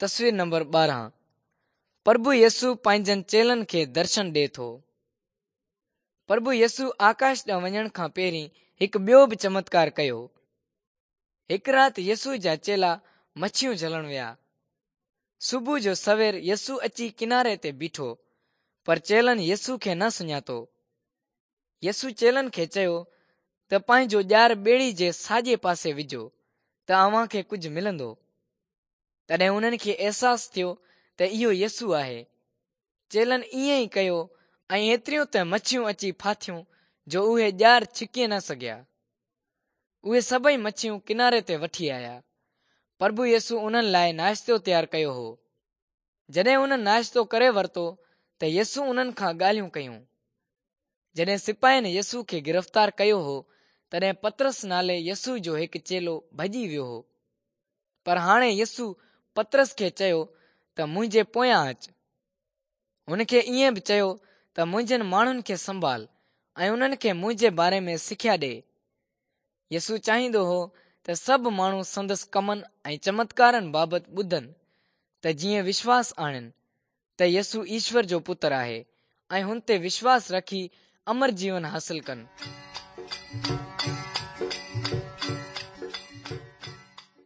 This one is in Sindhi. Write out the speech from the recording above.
تصوير نمبر 12 پرڀو يسوع پنهنجن چيلن کي درشن ڏئي ٿو. پرڀو يسوع آڪاش ڏانهن وڃڻ کان پهرين هڪ ٻيو به چمتڪار ڪيو. هڪ رات يسوع جا چيلا مڇيون جهلڻ ويا. صبح جو سوير يسوع اچي ڪناري تي بيٺو، پر چيلن يسوع کي نه سڃاتو. يسوع چيلن کي چيو ته پنهنجو ڄار ٻيڙي جي ساڄي پاسي وجهو ته اوهان کي ڪجهه ملندو. تڏهن انهن کي احساس ٿيو ته اهو يسوع آهي. چيلن ائين ئي ڪيو ۽ ايتريون ته مڇيون اچي ڦاٿيون جو اهي ڄار ڇڪي نه سگهيا. اهي سڀئي مڇيون ڪناري تي وٺي آيا. پرڀو يسوع انهن لاء ناشتو تيار ڪيو هو. جڏهن انهن ناشتو ڪري ورتو ته يسوع انهن کان ڳالهيون ڪيون. جڏهن سپاهين يسوع کي گرفتار ڪيو هو، تڏهن پطرس نالي يسوع جو هڪ چيلو ڀڄي ويو هو. پر هاڻي يسوع پطرس کي چيو ته منهنجي پويان اچ. هن کي ائين به چيو ته منهنجن ماڻهن کي سنڀال ۽ انهن کي منهنجي باري ۾ سکيا ڏي. يسوع چاهيندو هو ته سڀ ماڻهو سندس ڪمن ۽ چمتڪارن بابت ٻڌن ته جيئن وشواس آڻين ته يسوع ايشور جو پتر آهي ۽ هن تي وشواس رکي امر جيون حاصل ڪن.